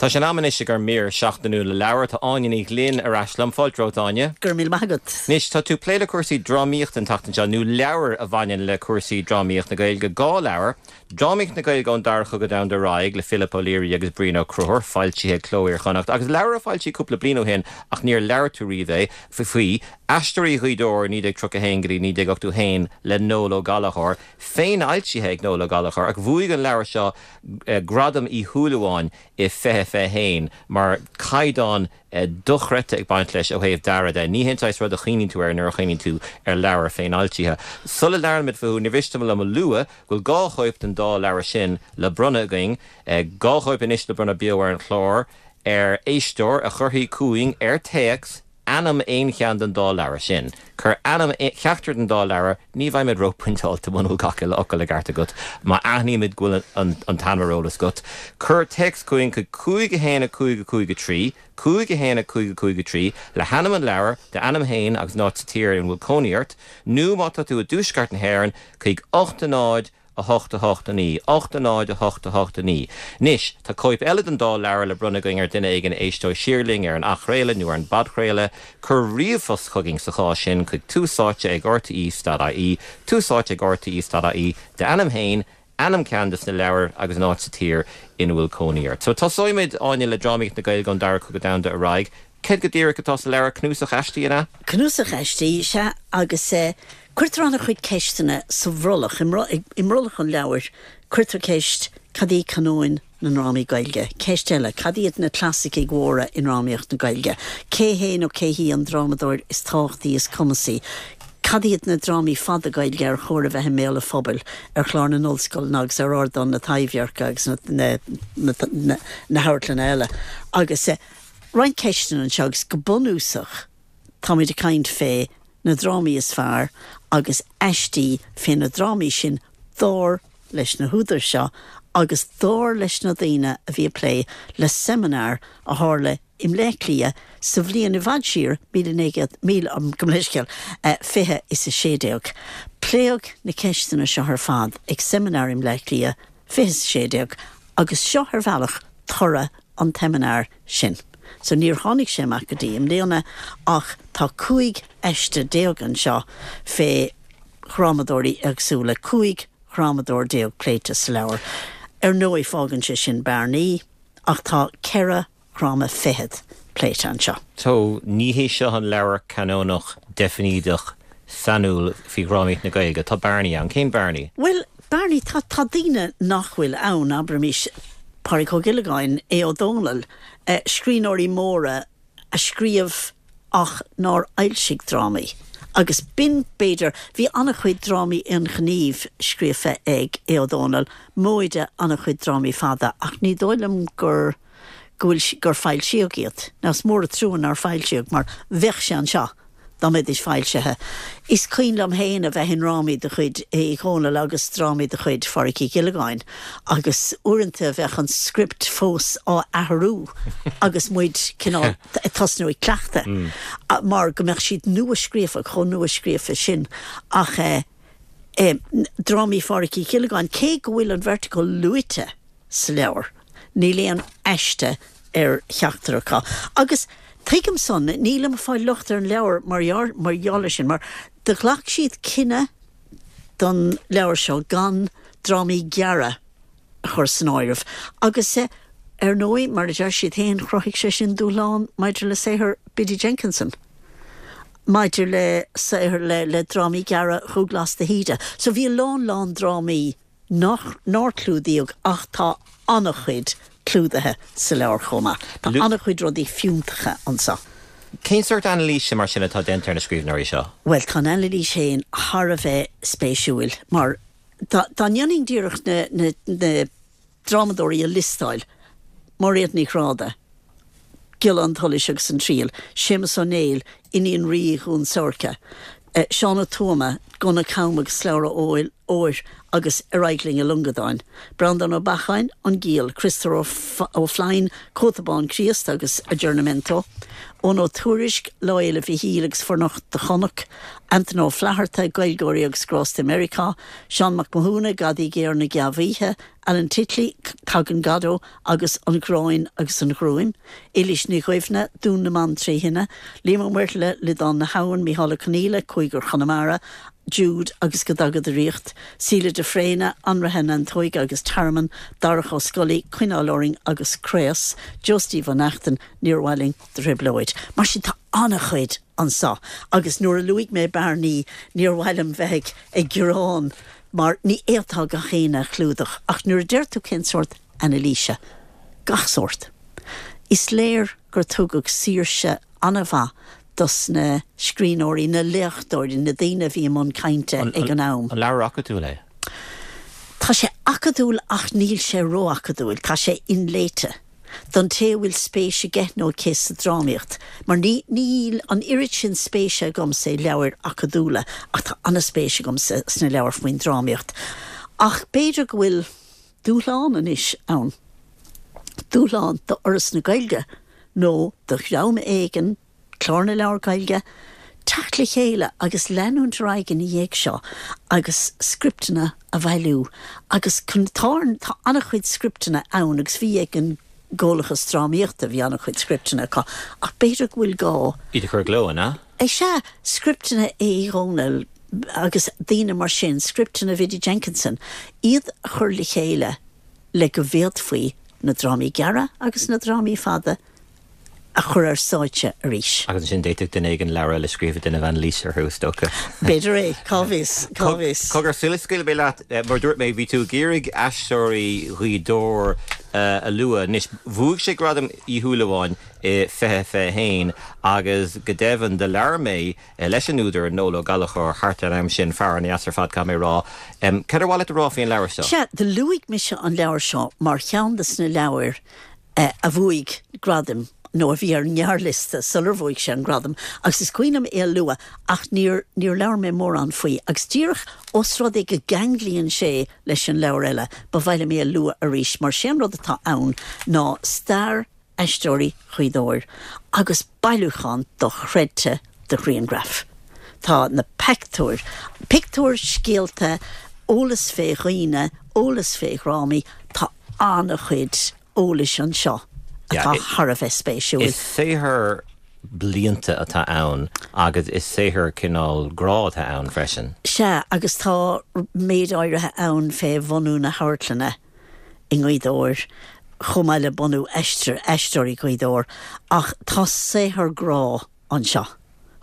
Tá sé in am anois ag ár mír seachtainiúil le leabhar. Tá Áine Ní Ghlinn ar ais liom. Fáilte romhat, Áine. Go raibh míle maith agat. Anois, tá tú ag plé le cúrsaí drámaíochta an tseachtain seo, nó leabhair a bhaineann le cúrsaí drámaíocht na Gaeilge. 2 leabhar, Drámaíocht na Gaeilge ón Dara Cogadh Domhanda ar aghaidh le Philip O'Leary agus Brian Ó Conchúir, foilsithe ag Cló Iar-Chonnacht, agus leabhar a foilsíodh cúpla bliain ó shin ach níor labhair tú riamh é, faoi, Aisteoirí Ghaoth Dobhair 1931 go dtí 1981 le Noel Ó Gallchóir, féinfhoilsithe ag Noel Ó Gallchóir, ach bhuaigh an leabhar seo Gradam Uí Shúilleabháin i 2021 mar caighdeán dochreidte ag baint leis ó thaobh dearaidh de. Ní hé an saghas rud a chuimhníonn tú air nuair a chuimhníonn tú ar leabhar féinfhoilsithe. Sula labhraímid fúthu, ní mhiste liom a lua go bhfuil 2 chóip den dá leabhar sin le bronnadh againn, 2 chóip anois le bronnadh beo ar an chlár, ar éisteoir a chuirfidh chugainn ar téacs ainm aon cheann den dá leabhar sin. Cuir ainm cheachtar den dá leabhar, ní bheimid róphointeáilte muna bhfuil gach uile fhocal i gceart agat, má aithnímid go bhfuil an t-ainm ar eolas agat. Cuir téacs chugainn chuig 5 1 5 5 3, 5 1 5 5 3, le hainm an leabhair, d'ainm féin agus an áit sa tír ina bhfuil cónaí ort, nó má tá tú i dtuaisceart na hÉireann, chuig 8 0 8 8 9, 8 0 8 8 9. Anois, tá cóip eile den dá leabhar le bronnadh againn ar dhuine éigin a éisteoidh siar linn ar an athchraoladh nó ar an bpodchraoladh. Cuir ríomhphost chugainn sa chás sin chuig túsáite ag rte.ie, túsáite ag rte.ie, d'ainm féin, ainm ceann de na leabhair agus an áit sa tír ina bhfuil cónaí ort. So, tosóimid, Áine, le Drámaíocht na Gaeilge ón Dara Cogadh Domhanda ar aghaidh. Céard go díreach atá sa leabhar? Cnuasach aistí, an ea? Cnuasach aistí, sea, agus cuirtear an-chuid ceisteanna sa bhrollach, i mbrollach an leabhair, cuirtear ceist, cad í canóin na ndrámaí Gaeilge? Ceist eile, cad iad na clasaicigh mhóra i ndrámaíocht na Gaeilge? Cé hé nó cé hí an drámadóir is tábhachtaí, is cumasaí? Cad iad na drámaí fada Gaeilge ar chóir a bheith i mbéal an phobail, ar chlár na n-ollscoileanna agus ar ardáin na Taibhdheirce agus na hamharclanna eile? Agus. roinnt ceisteanna anseo agus go bunúsach táimid ag caint fé na drámaí is fearr agus aistí fé na drámaí sin dar leis na húdair seo agus dar leis na daoine a bhí ag plé le seimineár a tharla i mBleá Cliath sa bhliain i bhfad siar, 1900, gabh mo leithscéal, 20 is 16. Pléadh na ceisteanna seo ar fad ag seimineár i mBleá Cliath 20 is 16 agus seo ar bhealach toradh an tseimineáir sin. So níor tháinig sé amach go dtí i mbliana ach tá 15 aiste anseo fé dhrámadóirí éagsúla, 15 dhrámadóir pléite sa leabhar. Ar ndóigh fágann sé sin bearnaí ach tá 4 dhráma fichead pléite anseo. So, ní hé seo an leabhar canónach deifnídeach sainiúil faoi dhrámaíocht na Gaeilge. Tá bearnaí ann. Cén bearnaí? Bhuel, bearnaí, tá, tá daoine nach bhfuil ann, abraimis Pádraig Ó Giollagáin, Aodh Ó Dónaill, scríbhneoirí móra a scríobh ach nár fhoilsigh drámaí. Agus b'in, b'fhéidir, bhí an-chuid drámaí aonghnímh scríofa ag Aodh Ó Dónaill, móide an-chuid drámaí fada, ach ní dóigh liom gur, go bhfuil, gur foilsíodh iad. Now is mór an trua nár foilsíodh mar bheadh sé anseo dá mbeidís foilsithe. Is cuimhin liom féin a bheith i ndrámaí de chuid Uí Dhónaill agus drámaí de chuid Phádraic Uí Ghiollagáin agus uaireanta bheadh an script fós á athrú agus muid cineál ag tosnú ag cleachtadh mar go mbeadh siad nua-scríofa, chomh nua-scríofa sin. Ach eh, drámaí Phádraic Uí Ghiollagáin, cé go bhfuil an bheirt acu luaite, sa leabhar. Níl aon aiste ar cheachtar acu. Agus tuigim san, nílim ag fáil locht ar an leabhar mar gheall air sin, mar do ghlac siad cinneadh don leabhar seo gan drámaí gearra a chur san áireamh. Agus ar ndóigh, mar a deir siad féin, chruthaigh sé sin dúshlán maidir le saothar Biddy Jenkinson, maidir le saothar le le drámaí gearra Dhúghlás de hÍde. So bhí a lán lán drámaí nach nár clúdaíodh ach tá an-chuid clúdaithe sa leabhar chomh maith. Tá an-chuid rudaí fiúntacha anseo. Cén sórt anailíse mar sin atá déanta ar na scríbhneoirí seo? Bhuel, tá an anailís féin thar a bheith spéisiúil mar dá ndéanfainn díreach na na drámadóirí a liostáil, Máiréad Ní Ghráda, Giolla an tSolais agus an Triail, Séamus Ó Néill, Iníon Rí Dhún Seirce, Seán Ó Tuama. Gunna Cam agus Slabhra Óir agus Ar Aghaidh Linn a Longadáin. Breandán Ó Beacháin, An Giall, Criostóir Ó Floinn, Cóta Bán Críost agus Aggiornamento, Eoghan Ó Tuairisg, Lá Fhéile Mhichíl agus Fornocht do Chonac, Antaine Ó Flatharta, Gaeilgeoirí agus Grásta i Meiriceá, Seán Mac Mathúna, Gadaí Géar na Geamhoíche, Alan Titley, Tagann Godot agus An Ghráin agus an Ghruaim, Éilís Ní Dhuibhne, Dún na mBan 3 Thine, Liam Ó Muirthile, Liodán na hAbhann, Mícheál Ó Conghaile, Cúigear Chonamara, Jude agus Go dTaga Do Ríocht, Síle de Fréine, Anraithe na Neantóige agus Tearmann, Darach Ó Scolaí, Coinneáil Orainn agus Craos, Joe Steve Ó Neachtain, Níor Mhaith Linn do Thrioblóid. Mar sin tá an-chuid anso agus nuair a luaigh mé bearnaí níor mhaith liom bheith ag gearán mar ní fhéadfá gach éinne a chlúdach ach nuair a deir tú cén sórt anailíse, gach sórt. Is léir gur tugadh saoirse an-mhaith dos na scríbhneoirí, na léachtóirí, na daoine a bhí i mbun cainte ag an am. An leabhar acadúil é? Tá sé acadúil ach níl sé ró-acadúil, tá sé inléite. don té a bhfuil spéis aige nó aici sa drámaíocht, mar ní níl an oiread sin spéise agamsa i leabhair acadúla ach tá an-spéis agamsa sna leabhair faoin drámaíocht. Ach b'fhéidir go bhfuil dúshlán anois ann, dúshlán do Fhoras na Gaeilge nó do dhream éigin, Clár na Leabhar Gaeilge, teacht le chéile agus leanúint ar aghaidh ina dhiaidh seo agus scripteanna a bhailiú agus tá tá an-chuid scripteanna ann agus bhí ag an gComhlachas Drámaíochta, bhí an-chuid scripteanna acu ach b'fhéidir go bhfuil gá. Iad a chur i gcló, an ea? Sea, scripteanna Uí Dhónaill agus daoine mar sin, scripteanna Bhiddy Jenkinson, iad a chur le chéile le go bhféadfaí na drámaí gearra agus na drámaí fada a chur ar stáitse arís. Agus ansin d'fhéadfadh duine éigin leabhar eile a scríobh ag déanamh anailíse orthu, is dócha. B'fhéidir é, cá bhfios, cá bhfios. Cogar, sula scaoilfidh mé leat, mar a dúirt mé, bhí tú ag iarraidh Aisteoirí Ghaoth Dobhair a lua. Anois, bhuaigh sé Gradam Uí Shúilleabháin i 2021 agus go deimhin, do labhair mé leis an údar, Noel Ó Gallchóir, thart ar an am sin, fear an-deas ar fad, caithfidh mé a rá. Cad ar mhaith leat a rá faoin leabhar seo? Sea, do luaigh mise an leabhar seo mar cheann de sna leabhair a bhuaigh gradaim nó a bhí ar an ngearrliosta sular bhuaigh sé an gradam agus is cuimhin liom é a lua ach níor níor labhair mé mórán faoi agus díreach os rud é go gceanglaíonn sé leis an leabhar eile ba mhaith liom é a lua arís mar sé an rud atá ann ná stair Aisteoirí Ghaoth Dobhair agus bailiúchán dochreidte de ghrianghraif. Tá na peictiúir, pictiúir, scéalta, eolas fé dhaoine, eolas fé dhrámaí, tá an-chuid eolais anseo atá thar a bheith spéisiúil. Is saothar blianta atá ann agus is saothar cineál grá atá ann freisin. Sea, agus tá méid áirithe ann fé bhunú na hamharclainne i nGaoth Dobhair, chomh maith le bunú Aisteoirí Ghaoth Dobhair, ach tá saothar grá anseo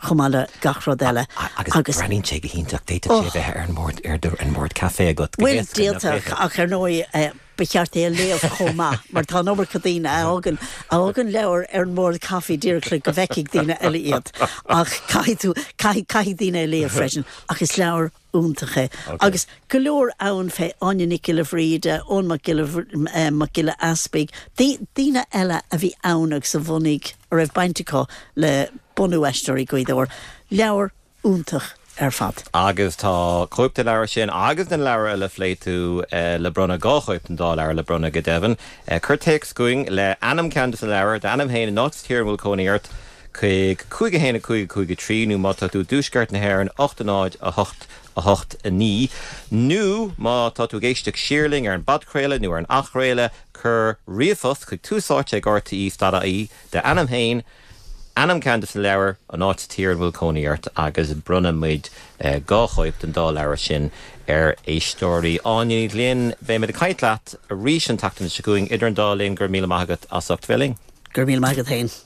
chomh maith le gach rud eile agus. Breathnaíonn sé go hiontach, d'fhéadfadh sé a bheith ar an mbord, ar an mbord caife agat go héasca. Bhuel, d'fhéadfadh, ach ar ndóigh ba cheart é a léamh chomh maith, mar tá an iomarca daoine a fhágann, a fhágann leabhair ar an mbord caife díreach le go bhfeicfidh daoine eile iad. Ach caithfidh tú, caithfidh, caithfidh daoine é a léamh freisin. Ach is leabhar iontach é. Agus go leor ann fé Áine Nic Giolla Bhríde, Eoin Mac Giolla, Mac Giolla Easpaig, daoine eile a bhí ann agus a bhunaigh, a raibh baint acu le bunú Aisteoirí Ghaoth Dobhair. Leabhar iontach ar fad. Agus tá cóip den leabhar sin agus den leabhar eile a phléigh tú le bronnadh, 2 chóip den dá leabhar le bronnadh go deimhin. Cuir téacs chugainn le ainm ceann de na leabhair, d'ainm féin, an áit sa tír ina bhfuil cónaí ort, chuig 5 1 5 5 3 nó má tá tú i dtuaisceart na hÉireann 8 0 8 8 9 nó má tá tú ag éisteacht siar linn ar an bpodchraoladh nó ar an athchraoladh cuir ríomhphost chuig tús áite ag rte dot ie d'ainm féin, ainm ceann de na leabhair, an áit sa tír ina bhfuil cónaí ort agus bronnfaidh muid 2 chóip den dá leabhar sin ar éisteoirí. Áine Ní Ghlinn, beidh muid ag caint leat arís an tseachtain seo chugainn. Idir an dá linn, go raibh míle maith agat as ucht bheith linn. Go raibh míle maith agat féin.